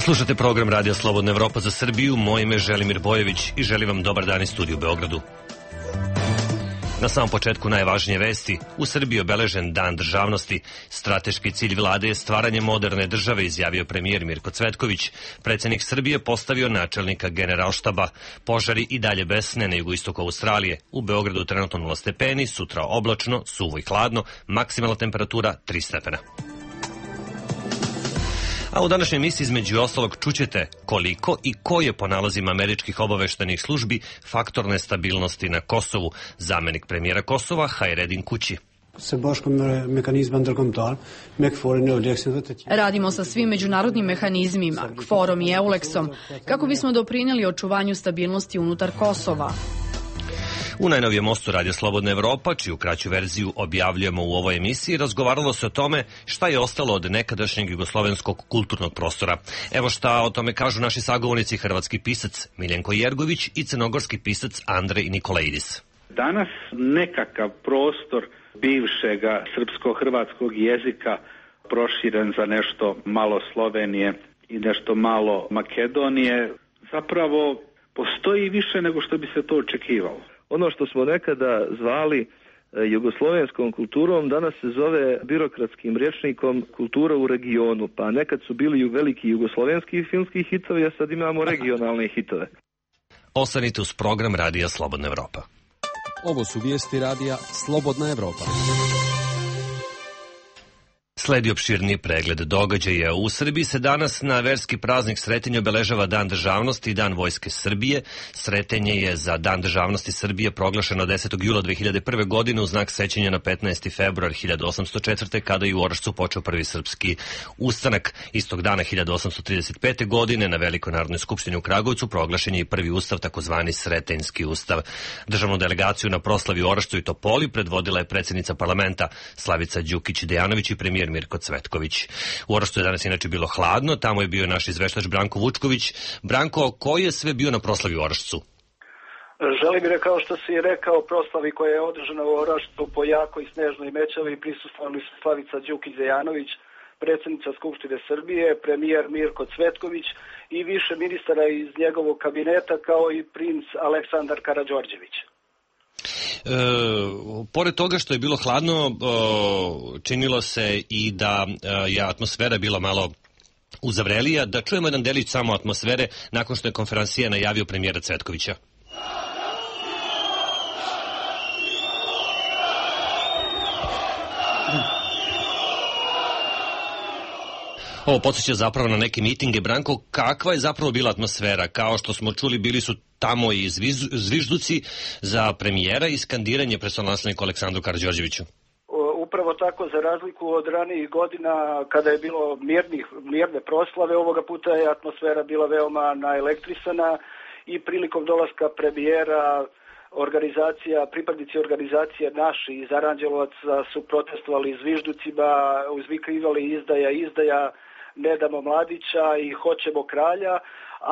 Slušate program Radija Slobodna Evropa za Srbiju, moje ime je Želimir Bojević i želim vam dobar dan iz studiju u Beogradu. Na samom početku najvažnije vesti. U Srbiji obeležen Dan državnosti. Strateški cilj vlade je stvaranje moderne države, izjavio premijer Mirko Cvetković. Predsjednik Srbije postavio načelnika Generalštaba. Požari i dalje besne na jugoistoku Australije. U Beogradu trenutno 0 stepeni, sutra oblačno, suvo i hladno, maksimalna temperatura 3 stepena. A u današnjoj emisiji između ostalog čućete koliko i ko je po nalazima američkih obaveštajnih službi faktor nestabilnosti na Kosovu. Zamenik premijera Kosova Hajredin Kući. Radimo sa svim međunarodnim mehanizmima, KFOR-om i EULEX-om, kako bismo doprinijeli očuvanju stabilnosti unutar Kosova. U najnovijem mostu Radija Slobodna Evropa, čiju kraću verziju objavljujemo u ovoj emisiji, razgovaralo se o tome šta je ostalo od nekadašnjeg jugoslovenskog kulturnog prostora. Evo šta o tome kažu naši sagovornici, hrvatski pisac Miljenko Jergović i crnogorski pisac Andrej Nikolaidis. Danas nekakav prostor bivšega srpsko-hrvatskog jezika proširen za nešto malo Slovenije i nešto malo Makedonije, zapravo postoji više nego što bi se to očekivalo. Ono što smo nekada zvali jugoslovenskom kulturom, danas se zove birokratskim rječnikom kultura u regionu. Pa nekad su bili veliki jugoslovenski filmski hitovi, a sad imamo regionalne hitove. Ostanite uz program Radija Slobodna Evropa. Ovo su vijesti Radija Slobodna Evropa. Sledi opširni pregled događaja. U Srbiji se danas na verski praznik Sretenje obeležava Dan državnosti i Dan Vojske Srbije. Sretenje je za Dan državnosti Srbije proglašeno 10. jula 2001. godine u znak sećanja na 15. februar 1804. kada je u Orašcu počeo prvi srpski ustanak. Istog dana 1835. godine na Velikoj narodnoj skupštini u Kragujevcu proglašen je i prvi ustav, takozvani Sretenjski ustav. Državnu delegaciju na proslavi u Orašcu i Topoli predvodila je predsjednica parlamenta Slavica Đukić-Dejanović i premijer Mirko Cvetković. U Orašcu je danas inače bilo hladno, tamo je bio naš izveštač Branko Vučković. Branko, ko je sve bio na proslavi u Orašcu? Želim, kao što si rekao, proslavi koja je održana u Orašcu po jakoj i snežnoj mećavi prisustvovali su Slavica Đukić-Dejanović, predsjednica Skupštine Srbije, premijer Mirko Cvetković i više ministara iz njegovog kabineta, kao i princ Aleksandar Karađorđević. Pored toga što je bilo hladno, činilo se i da je atmosfera bila malo uzavrelija. Da čujemo jedan delić samo atmosfere nakon što je konferencija najavio premijera Cvetkovića. Ovo podsjeća zapravo na neke mitinge. Branko, kakva je zapravo bila atmosfera? Kao što smo čuli, bili su tamo i zvižduci za premijera i skandiranje predstavniku Aleksandru Karađorđeviću. Upravo tako, za razliku od ranijih godina kada je bilo mirne proslave, ovoga puta je atmosfera bila veoma naelektrisana i prilikom dolaska premijera pripadnici organizacije naši iz Aranđelovaca su protestovali zvižducima, uzvikivali izdaja, ne damo mladića i hoćemo kralja,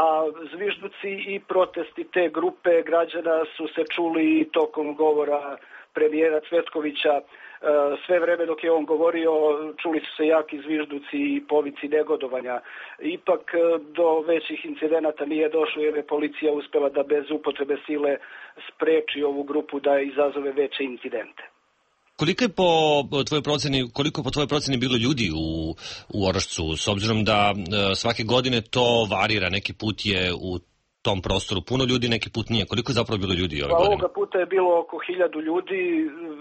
a zvižduci i protesti te grupe građana su se čuli tokom govora premijera Cvetkovića. Sve vreme dok je on govorio čuli su se jaki zvižduci i povici negodovanja. Ipak do većih incidenata nije došlo jer je policija uspela da bez upotrebe sile spreči ovu grupu da izazove veće incidente. Koliko po tvojoj proceni bilo ljudi u Orašcu, s obzirom da svake godine to varira, neki put je u tom prostoru puno ljudi, neki put nije. Koliko je zapravo bilo ljudi ove godine? Ovoga puta je bilo oko 1000 ljudi,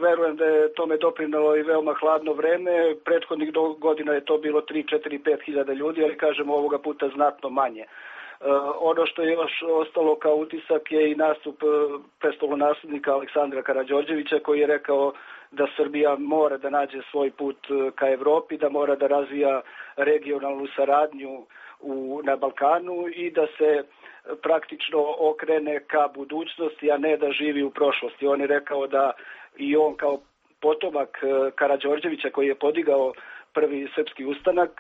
verujem da je tome doprinalo i veoma hladno vreme, prethodnih godina je to bilo 3, 4, 5 hiljada ljudi, ali kažemo ovoga puta znatno manje. Ono što je još ostalo kao utisak je i nastup prestolonaslednika Aleksandra Karađorđevića koji je rekao da Srbija mora da nađe svoj put ka Evropi, da mora da razvija regionalnu saradnju na Balkanu i da se praktično okrene ka budućnosti, a ne da živi u prošlosti. On je rekao da i on kao potomak Karađorđevića koji je podigao prvi srpski ustanak,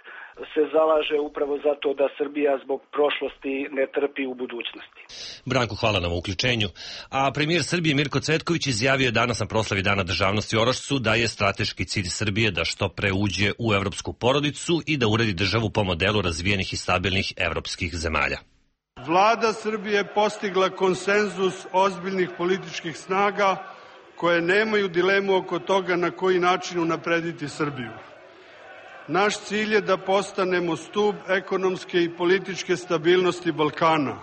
se zalaže upravo zato da Srbija zbog prošlosti ne trpi u budućnosti. Branko, hvala na uključenju. A premijer Srbije Mirko Cvetković izjavio je danas na proslavi Dana državnosti u Orašcu da je strateški cilj Srbije da što pre uđe u evropsku porodicu i da uredi državu po modelu razvijenih i stabilnih evropskih zemalja. Vlada Srbije je postigla konsenzus ozbiljnih političkih snaga koje nemaju dilemu oko toga na koji način unaprediti Srbiju. Naš cilj je da postanemo stub ekonomske i političke stabilnosti Balkana.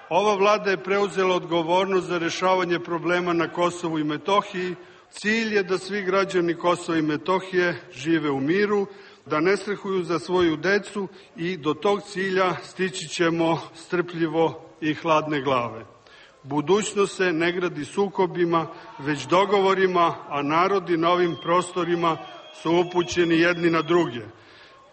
Ova vlada je preuzela odgovornost za rešavanje problema na Kosovu i Metohiji. Cilj je da svi građani Kosova i Metohije žive u miru, da ne strahuju za svoju decu i do tog cilja stići ćemo strpljivo i hladne glave. Budućnost se ne gradi sukobima, već dogovorima, a narodi na ovim prostorima su upućeni jedni na druge.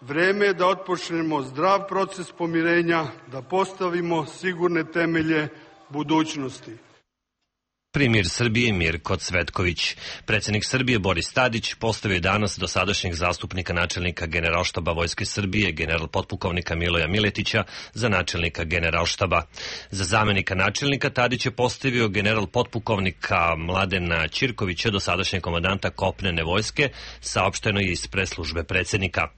Vreme je da otpočnemo zdrav proces pomirenja, da postavimo sigurne temelje budućnosti. Premijer Srbije Mirko Cvetković. Predsjednik Srbije Boris Tadić postavio je danas dosadašnjeg zastupnika načelnika Generalštaba Vojske Srbije, general potpukovnika Miloja Miletića, za načelnika Generalštaba. Za zamenika načelnika Tadić je postavio general potpukovnika Mladena Ćirkovića, dosadašnjeg komandanta kopnene vojske, saopšteno je iz preslužbe predsjednika.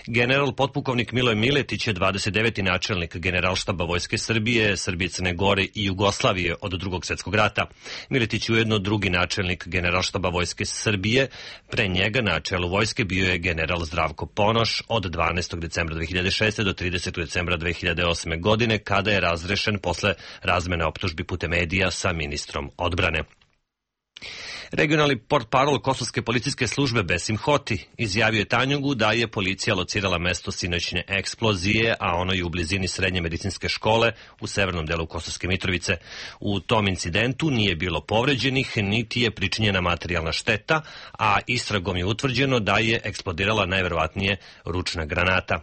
General potpukovnik Miloj Miletić je 29. načelnik Generalštaba Vojske Srbije, Srbije, Crne Gore i Jugoslavije od Drugog svjetskog rata. Miletić je ujedno drugi načelnik Generalštaba Vojske Srbije. Pre njega na čelu vojske bio je general Zdravko Ponoš od 12. decembra 2006. do 30. decembra 2008. godine, kada je razrešen posle razmene optužbi putem medija sa ministrom odbrane. Regionalni portparol Kosovske policijske službe Besim Hoti izjavio je Tanjugu da je policija locirala mesto sinoćne eksplozije, a ono je u blizini srednje medicinske škole u severnom delu Kosovske Mitrovice. U tom incidentu nije bilo povređenih, niti je pričinjena materijalna šteta, a istragom je utvrđeno da je eksplodirala najverovatnije ručna granata.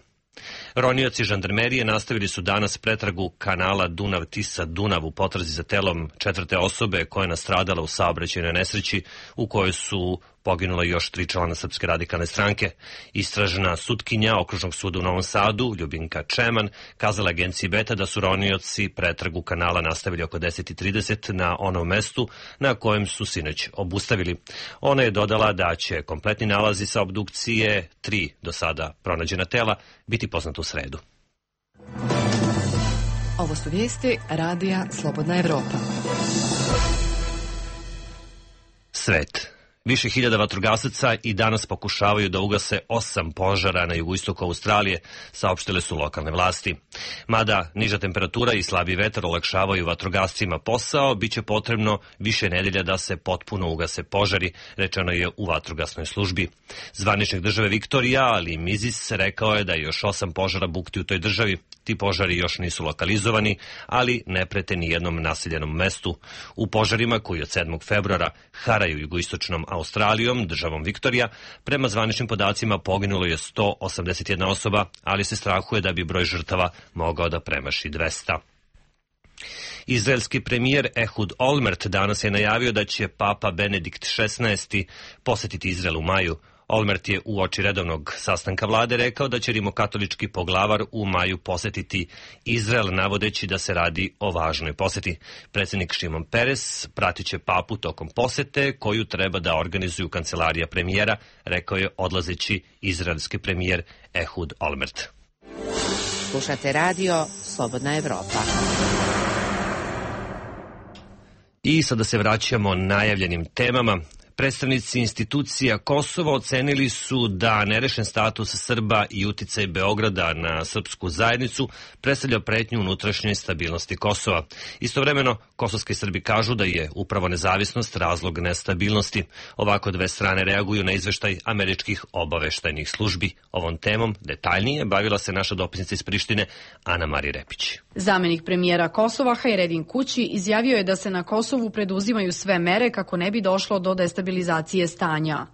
Ronioci žandarmerije nastavili su danas pretragu kanala Dunav-Tisa-Dunav u potrazi za telom četvrte osobe koja je nastradala u saobraćajnoj nesreći u kojoj su poginula još 3 člana Srpske radikalne stranke. Istražna sutkinja Okružnog suda u Novom Sadu, Ljubinka Čeman, kazala agenciji Beta da su ronioci pretragu kanala nastavili oko 10:30 na onom mestu na kojem su sinoć obustavili. Ona je dodala da će kompletni nalazi sa obdukcije 3 do sada pronađena tela biti poznata u sredu. Ovo su vijesti Radija Slobodna Evropa. Svet. Više hiljada vatrogasaca i danas pokušavaju da ugase 8 požara na jugoistoku Australije, saopštile su lokalne vlasti. Mada niža temperatura i slabi vetar olakšavaju vatrogascima posao, biće potrebno više nedelja da se potpuno ugase požari, rečeno je u vatrogasnoj službi. Zvaničnik države Viktorija, Ali Mizis, rekao je da je još 8 požara bukti u toj državi. Ti požari još nisu lokalizovani, ali ne prete ni jednom naseljenom mestu. U požarima koji od 7. februara haraju jugoistočnom Australijom, državom Viktorija, prema zvaničnim podacima poginulo je 181 osoba, ali se strahuje da bi broj žrtava mogao da premaši 200. Izraelski premijer Ehud Olmert danas je najavio da će papa Benedikt XVI posetiti Izrael u maju. Olmert je uoči redovnog sastanka vlade rekao da će rimokatolički poglavar u maju posetiti Izrael, navodeći da se radi o važnoj poseti. Predsjednik Šimon Peres pratit će papu tokom posete koju treba da organizuju kancelarija premijera, rekao je odlazeći izraelski premijer Ehud Olmert. Slušate radio Slobodna Evropa. I sada se vraćamo najavljenim temama. Predstavnici institucija Kosova ocenili su da nerešen status Srba i uticaj Beograda na srpsku zajednicu predstavlja pretnju unutrašnjoj stabilnosti Kosova. Istovremeno, kosovski Srbi kažu da je upravo nezavisnost razlog nestabilnosti. Ovako dve strane reaguju na izveštaj američkih obaveštajnih službi. Ovom temom detaljnije bavila se naša dopisnica iz Prištine, Ana Marija Repić. Zamenik premijera Kosova Hajredin Kući izjavio je da se na Kosovu preduzimaju sve mere kako ne bi došlo do destabilizacije stabilizacije stanja.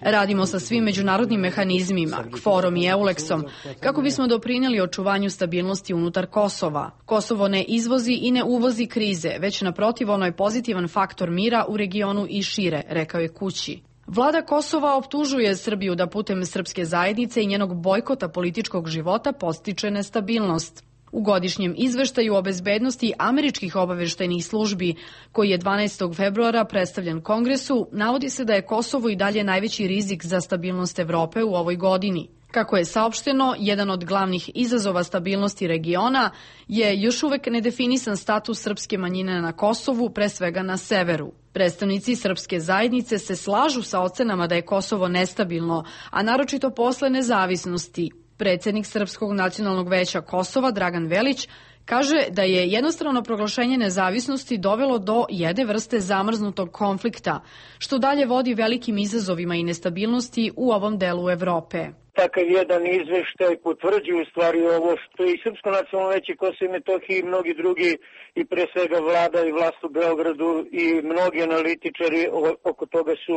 Radimo sa svim međunarodnim mehanizmima, KFOR-om i EULEX-om, kako bismo doprinijeli očuvanju stabilnosti unutar Kosova. Kosovo ne izvozi i ne uvozi krize, već naprotiv ono je pozitivan faktor mira u regionu i šire, rekao je Kući. Vlada Kosova optužuje Srbiju da putem srpske zajednice i njenog bojkota političkog života podstiče nestabilnost. U godišnjem izveštaju o bezbednosti američkih obaveštajnih službi, koji je 12. februara predstavljen Kongresu, navodi se da je Kosovo i dalje najveći rizik za stabilnost Evrope u ovoj godini. Kako je saopšteno, jedan od glavnih izazova stabilnosti regiona je još uvek nedefinisan status srpske manjine na Kosovu, pre svega na severu. Predstavnici srpske zajednice se slažu sa ocenama da je Kosovo nestabilno, a naročito posle nezavisnosti. Predsednik Srpskog nacionalnog veća Kosova, Dragan Velić, kaže da je jednostrano proglašenje nezavisnosti dovelo do jedne vrste zamrznutog konflikta, što dalje vodi velikim izazovima i nestabilnosti u ovom delu Evrope. Takav jedan izveštaj potvrđuje u stvari ovo što i Srpsko nacionalno veće Kosovo i Metohije i mnogi drugi i pre svega vlada i vlast u Beogradu i mnogi analitičari oko toga su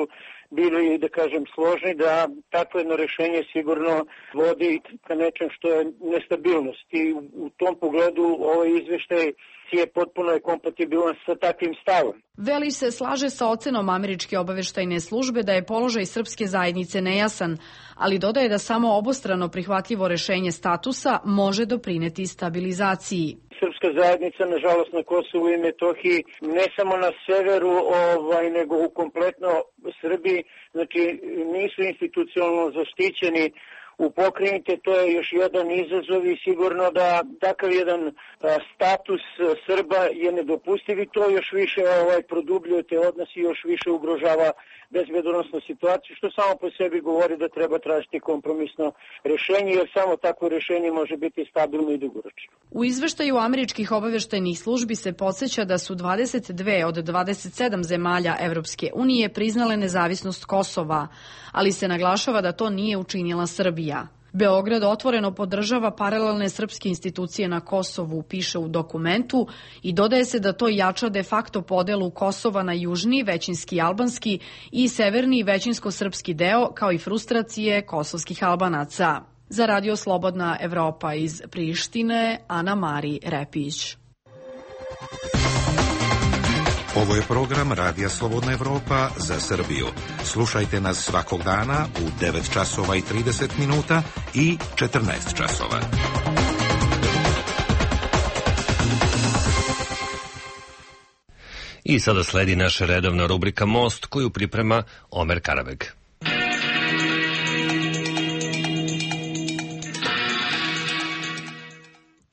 bili, da kažem, složni da takvo jedno rešenje sigurno vodi ka nečem što je nestabilnost i u tom pogledu ovaj izveštaj je potpuno kompatibilan sa takvim stavom. Velić se slaže sa ocenom američke obaveštajne službe da je položaj srpske zajednice nejasan, ali dodaje da samo obostrano prihvatljivo rešenje statusa može doprineti stabilizaciji. Srpska zajednica, nažalost, na Kosovu i Metohiji, ne samo na severu, nego u kompletno Srbiji, znači nisu institucionalno zaštićeni u pokrajini, to je još jedan izazov i sigurno da takav jedan status Srba je nedopustiv i to još više produbljuje te odnose i još više ugrožava bezbednosnu situaciju, što samo po sebi govori da treba tražiti kompromisno rešenje, jer samo takvo rešenje može biti stabilno i dugoročno. U izveštaju američkih obaveštajnih službi se podseća da su 22 od 27 zemalja Evropske unije priznale nezavisnost Kosova, ali se naglašava da to nije učinila Srbija. Beograd otvoreno podržava paralelne srpske institucije na Kosovu, piše u dokumentu, i dodaje se da to jača de facto podelu Kosova na južni, većinski albanski i severni, većinsko-srpski deo, kao i frustracije kosovskih Albanaca. Za Radio Slobodna Evropa iz Prištine, Ana Mari Repić. Ovo je program Radija Slobodna Evropa za Srbiju. Slušajte nas svakog dana u 9 časova i 30 minuta i 14 časova. I sada sledi naša redovna rubrika Most, koju priprema Omer Karabeg.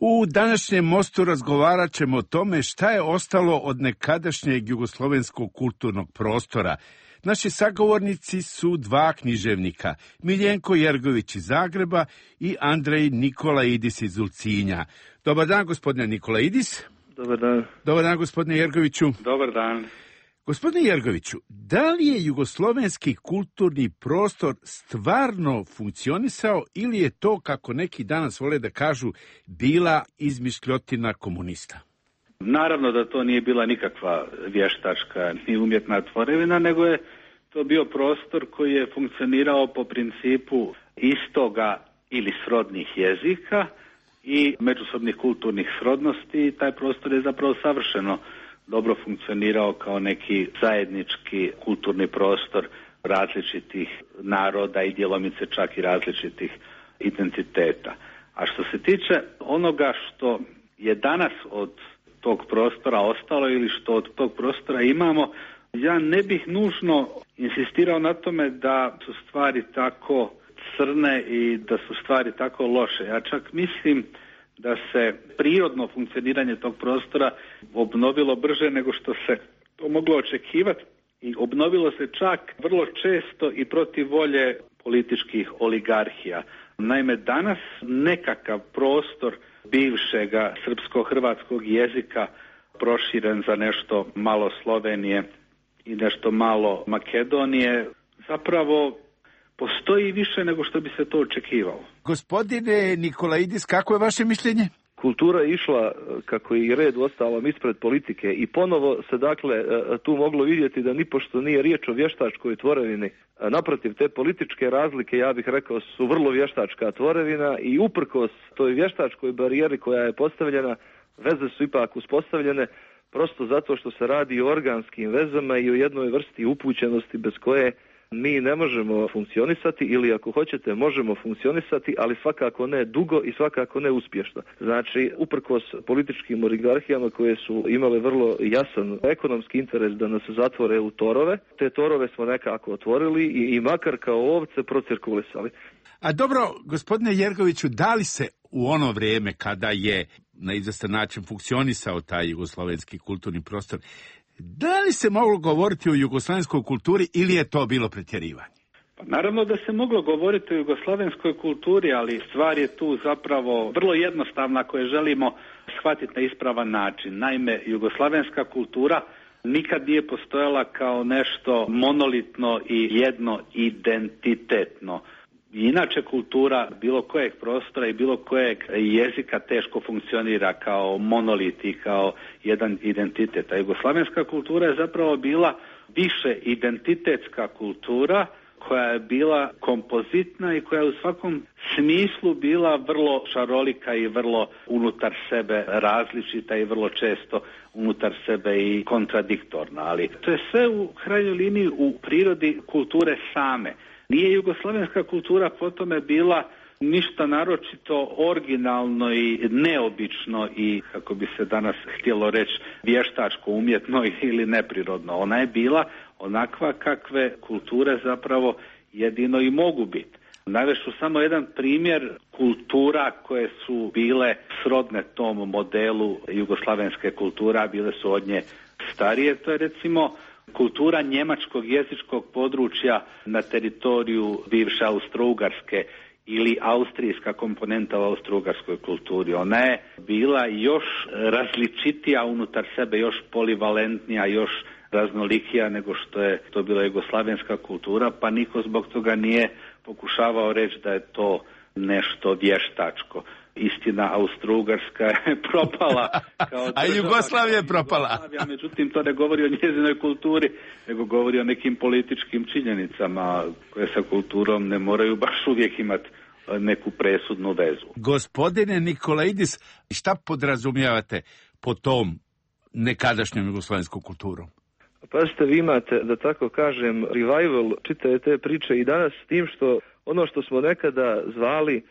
U današnjem Mostu razgovarat ćemo o tome šta je ostalo od nekadašnjeg jugoslovenskog kulturnog prostora. Naši sagovornici su dva književnika, Miljenko Jergović iz Zagreba i Andrej Nikolaidis iz Ulcinja. Dobar dan, gospodine Nikolaidis. Dobar dan. Dobar dan, gospodine Jergoviću. Dobar dan. Gospodine Jergoviću, da li je jugoslovenski kulturni prostor stvarno funkcionisao ili je to, kako neki danas vole da kažu, bila izmišljotina komunista? Naravno da to nije bila nikakva vještačka ni umjetna tvorevina, nego je to bio prostor koji je funkcionirao po principu istoga ili srodnih jezika i međusobnih kulturnih srodnosti. Taj prostor je zapravo savršeno dobro funkcionirao kao neki zajednički kulturni prostor različitih naroda i djelomice čak i različitih identiteta. A što se tiče onoga što je danas od tog prostora ostalo ili što od tog prostora imamo, ja ne bih nužno insistirao na tome da su stvari tako crne i da su stvari tako loše. Ja čak mislim da se prirodno funkcioniranje tog prostora obnovilo brže nego što se to moglo očekivati i obnovilo se čak vrlo često i protiv volje političkih oligarhija. Naime, danas nekakav prostor bivšega srpsko-hrvatskog jezika proširen za nešto malo Slovenije i nešto malo Makedonije zapravo postoji više nego što bi se to očekivalo. Gospodine Nikolaidis, kako je vaše mišljenje? kultura je išla, kako je i red uostalom, ispred politike i ponovo se dakle tu moglo vidjeti da nipošto nije riječ o vještačkoj tvorevini. Naprotiv, te političke razlike, ja bih rekao, su vrlo vještačka tvorevina i uprkos toj vještačkoj barijeri koja je postavljena, veze su ipak uspostavljene prosto zato što se radi o organskim vezama i o jednoj vrsti upućenosti bez koje mi ne možemo funkcionisati ili ako hoćete možemo funkcionisati, ali svakako ne dugo i svakako ne uspješno. Znači, uprkos političkim oligarhijama koje su imale vrlo jasan ekonomski interes da nas zatvore u torove, te torove smo nekako otvorili i makar kao ovce procirkulisali. A dobro, gospodine Jergoviću, da li se u ono vrijeme kada je na izvestan način funkcionisao taj jugoslovenski kulturni prostor, da li se moglo govoriti o jugoslavenskoj kulturi ili je to bilo pretjerivanje? Pa naravno da se moglo govoriti o jugoslavenskoj kulturi, ali stvar je tu zapravo vrlo jednostavna ako je želimo shvatiti na ispravan način. Naime, jugoslavenska kultura nikad nije postojala kao nešto monolitno i jedno identitetno. Inače kultura bilo kojeg prostora i bilo kojeg jezika teško funkcionira kao monolit i kao jedan identitet. A jugoslavenska kultura je zapravo bila više identitetska kultura koja je bila kompozitna i koja je u svakom smislu bila vrlo šarolika i vrlo unutar sebe različita i vrlo često unutar sebe i kontradiktorna. Ali to je sve u krajnjoj liniji u prirodi kulture same. Nije jugoslavenska kultura po tome bila ništa naročito originalno i neobično i, kako bi se danas htjelo reći, vještačko, umjetno ili neprirodno. Ona je bila onakva kakve kulture zapravo jedino i mogu biti. Navešću samo jedan primjer kultura koje su bile srodne tom modelu jugoslavenske kulture, a bile su od nje starije. To je recimo kultura njemačkog jezičkog područja na teritoriju bivše Austro-Ugarske ili austrijska komponenta u austro-ugarskoj kulturi. Ona je bila još različitija unutar sebe, još polivalentnija, još raznolikija nego što je to bila jugoslavenska kultura, pa niko zbog toga nije pokušavao reći da je to nešto vještačko. Istina, Austro-Ugarska je propala kao država, a Jugoslavija je propala. Međutim, to ne govori o njezinoj kulturi, nego govori o nekim političkim činjenicama koje sa kulturom ne moraju baš uvijek imati neku presudnu vezu. Gospodine Nikolaidis, šta podrazumijevate po tom nekadašnjom jugoslovenskom kulturom? Pazite, vi imate, da tako kažem, revival čitave te priče i danas s tim što ono što smo nekada zvali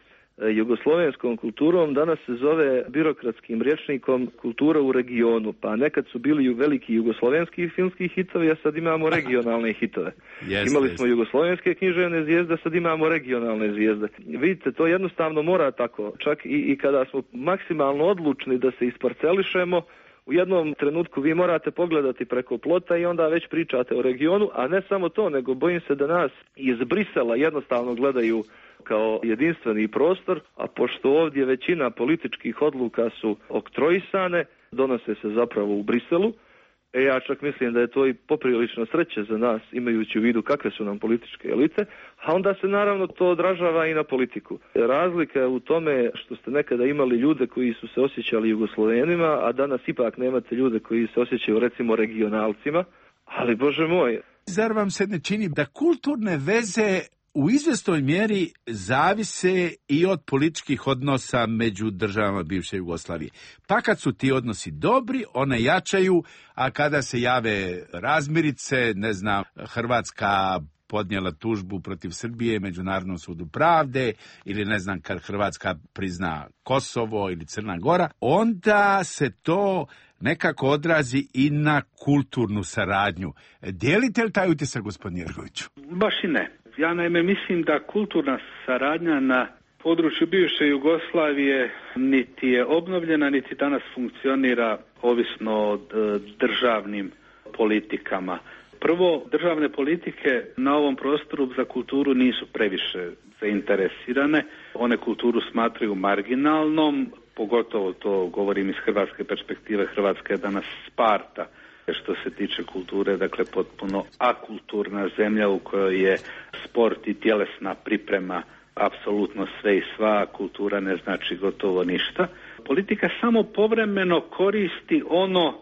jugoslovenskom kulturom danas se zove birokratskim rječnikom kultura u regionu. Pa nekad su bili veliki jugoslovenski filmski hitovi, a sad imamo regionalne hitove. Imali smo jugoslovenske književne zvijezde, sad imamo regionalne zvijezde. Vidite, to jednostavno mora tako. Čak i kada smo maksimalno odlučni da se isparcelišemo, u jednom trenutku vi morate pogledati preko plota i onda već pričate o regionu, a ne samo to, nego bojim se da nas iz Brisela jednostavno gledaju kao jedinstveni prostor, a pošto ovdje većina političkih odluka su oktroisane, donose se zapravo u Briselu, ja čak mislim da je to i poprilično sreće za nas, imajući u vidu kakve su nam političke elite, a onda se naravno to odražava i na politiku. Razlika je u tome što ste nekada imali ljude koji su se osjećali Jugoslovenima, a danas ipak nemate ljude koji se osjećaju recimo regionalcima, ali Bože moj. Zar vam se ne čini da kulturne veze u izvjesnoj mjeri zavise i od političkih odnosa među državama bivše Jugoslavije? Pa kad su ti odnosi dobri, one jačaju, a kada se jave razmirice, ne znam, Hrvatska podnijela tužbu protiv Srbije Međunarodnom sudu pravde, ili ne znam, kad Hrvatska prizna Kosovo ili Crna Gora, onda se to nekako odrazi i na kulturnu saradnju. Dijelite li taj utisak, gospodin Jergoviću? Baš i ne. Ja naime mislim da kulturna saradnja na području bivše Jugoslavije niti je obnovljena, niti danas funkcionira ovisno o državnim politikama. Prvo, državne politike na ovom prostoru za kulturu nisu previše zainteresirane. One kulturu smatraju marginalnom, pogotovo to govorim iz hrvatske perspektive. Hrvatska je danas Sparta što se tiče kulture, dakle potpuno akulturna zemlja u kojoj je sport i tjelesna priprema apsolutno sve i sva, kultura ne znači gotovo ništa. Politika samo povremeno koristi ono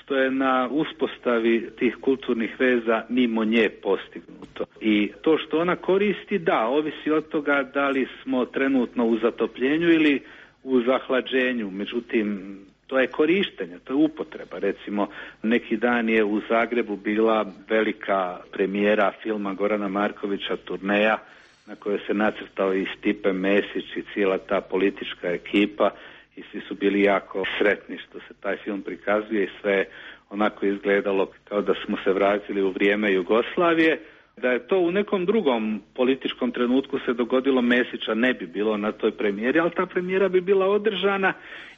što je na uspostavi tih kulturnih veza mimo nje postignuto. I to što ona koristi, da, ovisi od toga da li smo trenutno u zatopljenju ili u zahlađenju. Međutim, to je korištenje, to je upotreba. Recimo, neki dan je u Zagrebu bila velika premijera filma Gorana Markovića Turneja, na kojoj se nacrtao i Stipe Mesić i cijela ta politička ekipa i svi su bili jako sretni što se taj film prikazuje i sve onako izgledalo kao da smo se vratili u vrijeme Jugoslavije. Da je to u nekom drugom političkom trenutku se dogodilo, Mesića ne bi bilo na toj premijeri, ali ta premijera bi bila održana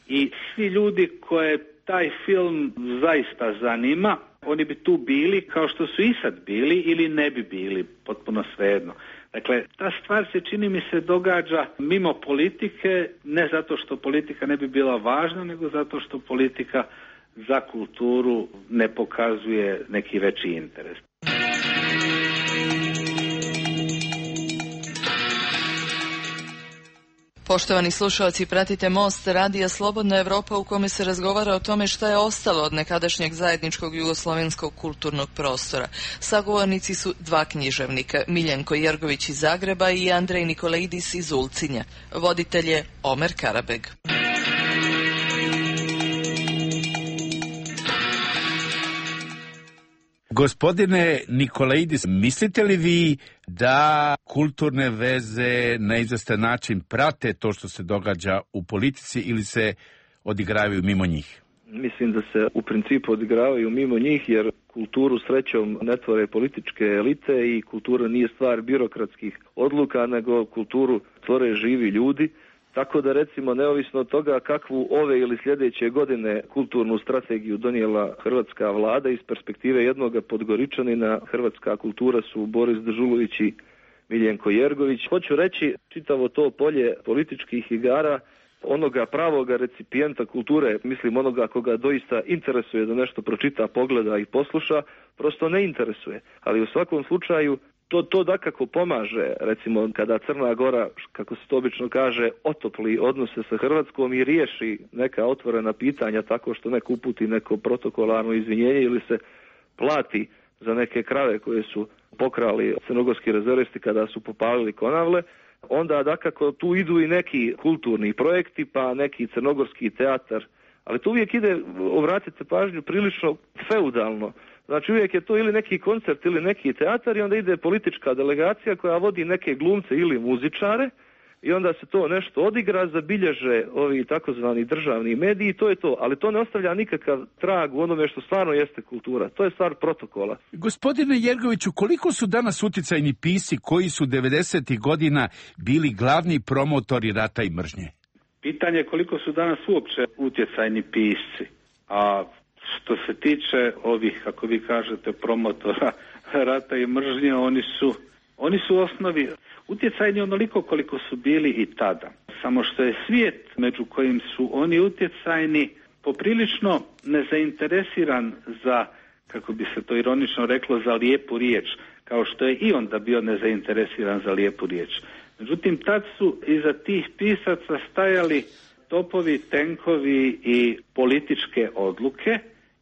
i svi ljudi koje taj film zaista zanima, oni bi tu bili kao što su i sad bili ili ne bi bili, potpuno svejedno. Dakle, ta stvar se, čini mi se, događa mimo politike, ne zato što politika ne bi bila važna, nego zato što politika za kulturu ne pokazuje neki veći interes. Poštovani slušalci, pratite Most radija Slobodna Evropa u kome se razgovara o tome šta je ostalo od nekadašnjeg zajedničkog jugoslovenskog kulturnog prostora. Sagovornici su dva književnika, Miljenko Jergović iz Zagreba i Andrej Nikolaidis iz Ulcinja. Voditelj je Omer Karabeg. Gospodine Nikolaidis, mislite li vi da kulturne veze na izvestan način prate to što se događa u politici ili se odigravaju mimo njih? Mislim da se u principu odigravaju mimo njih, jer kulturu srećom ne tvore političke elite i kultura nije stvar birokratskih odluka, nego kulturu tvore živi ljudi. Tako da, recimo, neovisno od toga kakvu ove ili sljedeće godine kulturnu strategiju donijela hrvatska vlada, iz perspektive jednoga Podgoričanina hrvatska kultura su Boris Dežulović i Miljenko Jergović. Hoću reći, čitavo to polje političkih igara, onoga pravoga recipijenta kulture, mislim onoga koga doista interesuje da nešto pročita, pogleda i posluša, prosto ne interesuje. Ali u svakom slučaju to dakako pomaže, recimo kada Crna Gora, kako se to obično kaže, otopli odnose sa Hrvatskom i riješi neka otvorena pitanja tako što neko uputi neko protokolarno izvinjenje ili se plati za neke krave koje su pokrali crnogorski rezervisti kada su popalili Konavle, onda dakako tu idu i neki kulturni projekti, pa neki crnogorski teatar, ali to uvijek ide, obratite pažnju, prilično feudalno. Znači uvijek je to ili neki koncert ili neki teatar i onda ide politička delegacija koja vodi neke glumce ili muzičare i onda se to nešto odigra, zabilježe ovi takozvani državni mediji i to je to. Ali to ne ostavlja nikakav trag u onome što stvarno jeste kultura. To je stvar protokola. Gospodine Jergoviću, koliko su danas utjecajni pisci koji su 90. godina bili glavni promotori rata i mržnje? Pitanje je koliko su danas uopće utjecajni pisci, a što se tiče ovih, kako vi kažete, promotora rata i mržnje, oni su u osnovi utjecajni onoliko koliko su bili i tada. Samo što je svijet među kojim su oni utjecajni poprilično nezainteresiran za, kako bi se to ironično reklo, za lijepu riječ, kao što je i onda bio nezainteresiran za lijepu riječ. Međutim, tad su iza tih pisaca stajali topovi, tenkovi i političke odluke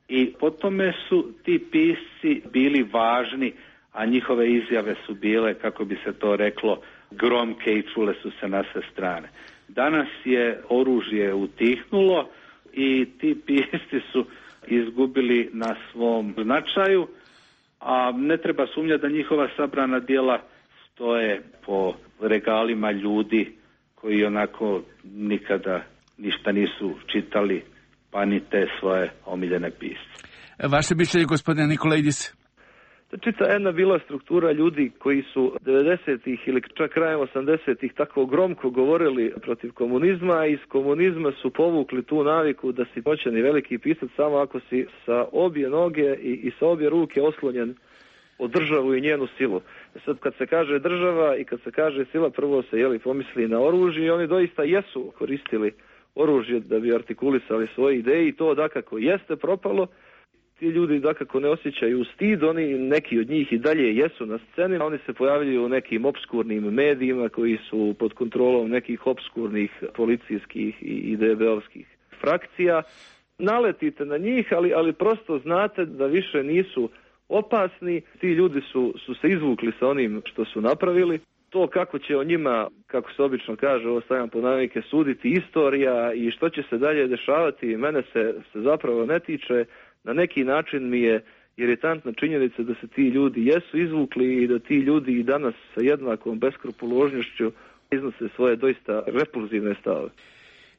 i po tome su ti pisci bili važni, a njihove izjave su bile, kako bi se to reklo, gromke i čule su se na sve strane. Danas je oružje utihnulo i ti pisci su izgubili na svom značaju, a ne treba sumnjati da njihova sabrana djela stoje po regalima ljudi koji onako nikada ništa nisu čitali, pa ni te svoje omiljene pisce. Vaše mišljenje, gospodine Nikolaidis? Čita jedna bila struktura ljudi koji su 90-ih ili čak krajem 80-ih tako gromko govorili protiv komunizma i iz komunizma su povukli tu naviku da si moćan i veliki pisac samo ako si sa obje noge i sa obje ruke oslonjen o državu i njenu silu. Sad kad se kaže država i kad se kaže sila, prvo se pomisli na oružje i oni doista jesu koristili oružje da bi artikulisali svoje ideje i to dakako jeste propalo. ti ljudi dakako ne osjećaju stid, oni neki od njih i dalje jesu na sceni, oni se pojavljuju u nekim opskurnim medijima koji su pod kontrolom nekih opskurnih policijskih i DB-ovskih frakcija. Naletite na njih, ali prosto znate da više nisu opasni. Ti ljudi su se izvukli sa onim što su napravili. To kako će o njima, kako se obično kaže, ovo stavljam pod navodnike, suditi istorija i što će se dalje dešavati, mene se zapravo ne tiče. Na neki način mi je iritantna činjenica da se ti ljudi jesu izvukli i da ti ljudi i danas sa jednakom beskrupuložnošću iznose svoje doista repulzivne stavove.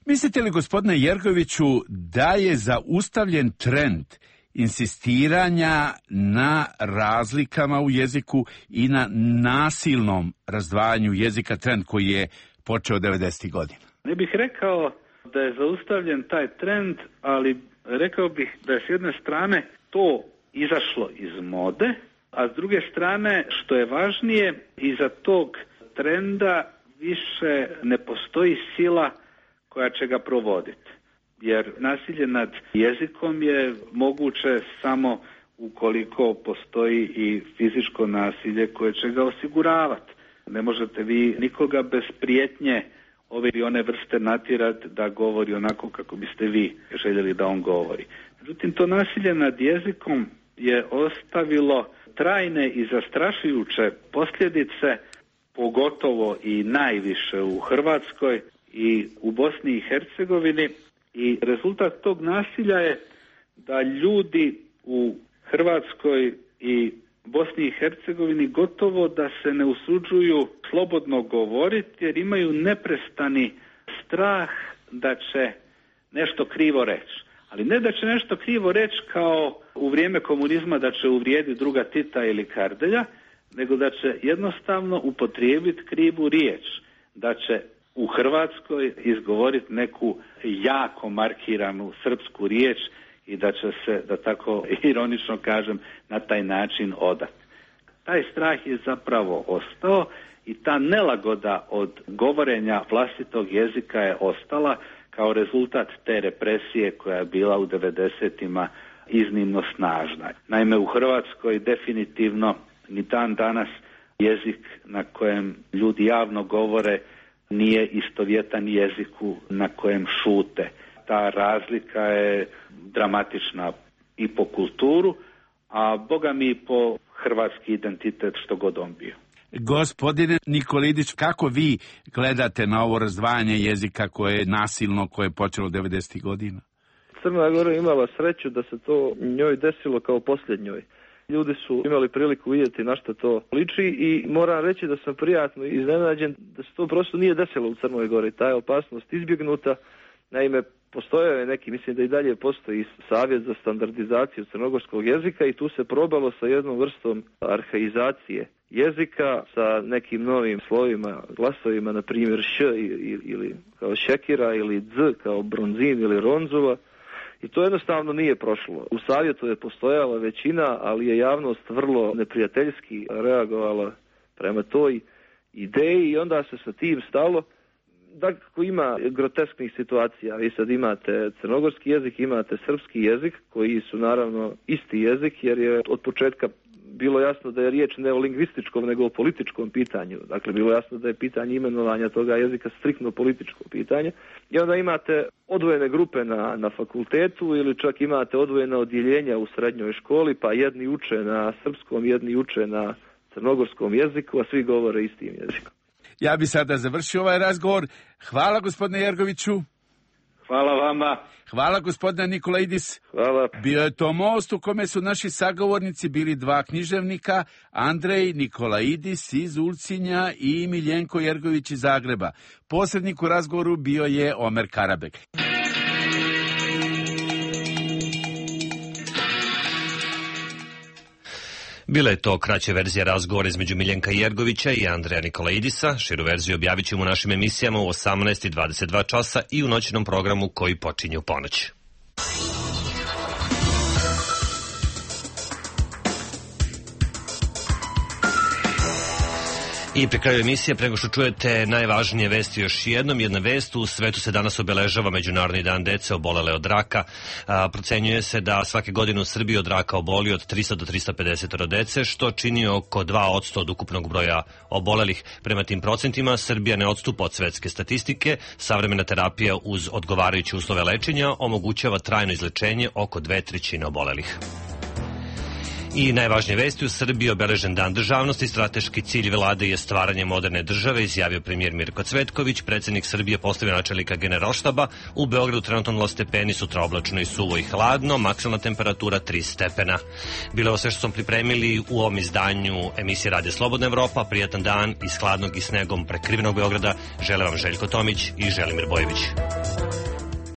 Mislite li, gospodine Jergoviću, da je zaustavljen trend insistiranja na razlikama u jeziku i na nasilnom razdvajanju jezika, trend koji je počeo 90. godina? Ne bih rekao da je zaustavljen taj trend, ali rekao bih da je s jedne strane to izašlo iz mode, a s druge strane, što je važnije, iza tog trenda više ne postoji sila koja će ga provoditi. Jer nasilje nad jezikom je moguće samo ukoliko postoji i fizičko nasilje koje će ga osiguravati. Ne možete vi nikoga bez prijetnje ove ili one vrste natjerati da govori onako kako biste vi željeli da on govori. Međutim, to nasilje nad jezikom je ostavilo trajne i zastrašujuće posljedice, pogotovo i najviše u Hrvatskoj i u Bosni i Hercegovini. I rezultat tog nasilja je da ljudi u Hrvatskoj i Bosni i Hercegovini gotovo da se ne usuđuju slobodno govoriti jer imaju neprestani strah da će nešto krivo reći. Ali ne da će nešto krivo reći kao u vrijeme komunizma da će uvrijediti druga Tita ili Kardelja, nego da će jednostavno upotrijebiti krivu riječ, da će u Hrvatskoj izgovoriti neku jako markiranu srpsku riječ i da će se, da tako ironično kažem, na taj način odati. Taj strah je zapravo ostao i ta nelagoda od govorenja vlastitog jezika je ostala kao rezultat te represije koja je bila u 90-ima iznimno snažna. Naime, u Hrvatskoj definitivno ni dan danas jezik na kojem ljudi javno govore nije istovjetan jeziku na kojem šute. Ta razlika je dramatična i po kulturu, a boga mi i po hrvatski identitet što god on bio. Gospodine Nikolidić, kako vi gledate na ovo razdvajanje jezika koje je nasilno, koje je počelo 90. godina? Crna Gora imala sreću da se to njoj desilo kao posljednjoj. Ljudi su imali priliku vidjeti na što to liči i moram reći da sam prijatno iznenađen da se to prosto nije desilo u Crnoj Gori. Ta je opasnost izbjegnuta. Naime, postojao je neki, mislim da i dalje postoji savjet za standardizaciju crnogorskog jezika i tu se probalo sa jednom vrstom arhaizacije jezika, sa nekim novim slovima, glasovima, na primjer š ili kao šekira ili dz kao bronzin ili ronzula. I to jednostavno nije prošlo. U savjetu je postojala većina, ali je javnost vrlo neprijateljski reagovala prema toj ideji i onda se sa tim stalo. Dakle, ima grotesknih situacija. Vi sad imate crnogorski jezik, imate srpski jezik, koji su naravno isti jezik, jer je od početka bilo jasno da je riječ ne o lingvističkom, nego o političkom pitanju. Dakle, bilo jasno da je pitanje imenovanja toga jezika striktno političko pitanje. I onda imate odvojene grupe na fakultetu ili čak imate odvojena odjeljenja u srednjoj školi, pa jedni uče na srpskom, jedni uče na crnogorskom jeziku, a svi govore istim jezikom. Ja bi sada završio ovaj razgovor. Hvala, gospodine Jergoviću. Hvala vama. Hvala, gospodine Nikolaidis. Hvala. Bio je to most u kome su naši sagovornici bili dva književnika, Andrej Nikolaidis iz Ulcinja i Miljenko Jergović iz Zagreba. Posrednik u razgovoru bio je Omer Karabek. Bila je to kraća verzija razgovora između Miljenka Jergovića i Andreja Nikolaidisa. Širu verziju objavit ćemo u našim emisijama u 18:22 časa i u noćnom programu koji počinje u ponoć. I pri kraju emisije, prego što čujete najvažnije vesti još jednom, jedna vest, u svetu se danas obeležava Međunarodni dan dece obolele od raka. Procenjuje se da svake godine u Srbiji od raka oboli od 300 do 350 dece, što čini oko 2% od ukupnog broja obolelih. Prema tim procentima, Srbija ne odstupa od svetske statistike. Savremena terapija uz odgovarajuće uslove lečenja omogućava trajno izlečenje oko 2/3 obolelih. I najvažnije vesti, u Srbiji obeležen dan državnosti, strateški cilj vlade je stvaranje moderne države, izjavio premijer Mirko Cvetković. Predsednik Srbije postavio načelnika Generalštaba. U Beogradu trenutno 0 stepeni, sutra oblačno i suvo i hladno, maksimalna temperatura 3 stepena. Bilo je sve što smo pripremili u ovom izdanju emisije Radija Slobodna Evropa. Prijatan dan iz hladnog i snegom prekrivenog Beograda. Žele vam Željko Tomić i Želimir Bojević.